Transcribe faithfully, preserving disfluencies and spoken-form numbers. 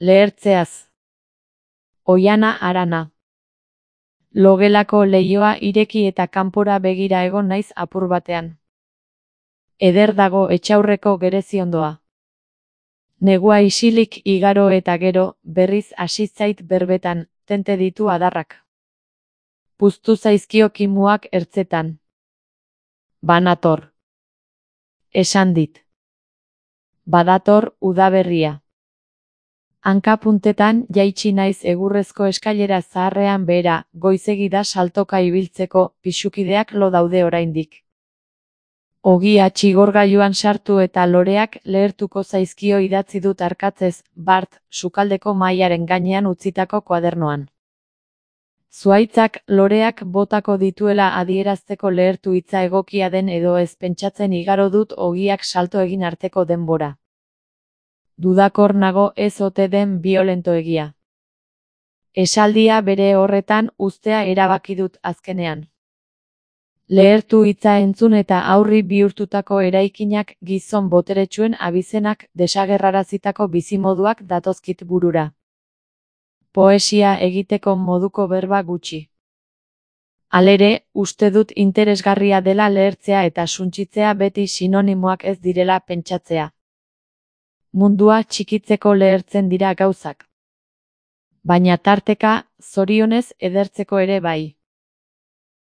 Lehertzeaz. Oiana Arana. Logelako leihoa ireki eta kanpora begira egon naiz apur batean. Eder dago etxaurreko gereziondoa. Negua isilik igaro eta gero, berriz hasi zait berbetan, tente ditu adarrak. Puztu zaizkio kimuak ertzetan. Banator. Esan dit. Badator udaberria. Hankapuntetan jaitsi naiz egurrezko eskailera zaharrean behera, goizegi da saltoka ibiltzeko, pisukideak lo daude oraindik. Ogia txigorgailuan sartu eta loreak lehertuko zaizkio idatzi dut arkatzez, bart, sukaldeko mahaiaren gainean utzitako kuadernoan. Zuhaitzak loreak botako dituela adierazteko lehertu hitza egokia den edo ez pentsatzen igaro dut ogiak salto egin arteko denbora. Dudakor nago ez ote den biolentoegia. Esaldia bere horretan uztea erabaki dut azkenean. Lehertu hitza entzun eta aurri bihurtutako eraikinak, gizon boteretsuen abizenak, desagerrarazitako bizimoduak datozkit burura. Poesia egiteko moduko berba gutxi. Halere, uste dut interesgarria dela lehertzea eta suntsitzea beti sinonimoak ez direla pentsatzea. Mundua txikitzeko lehertzen dira gauzak. Baina tarteka, zorionez edertzeko ere bai.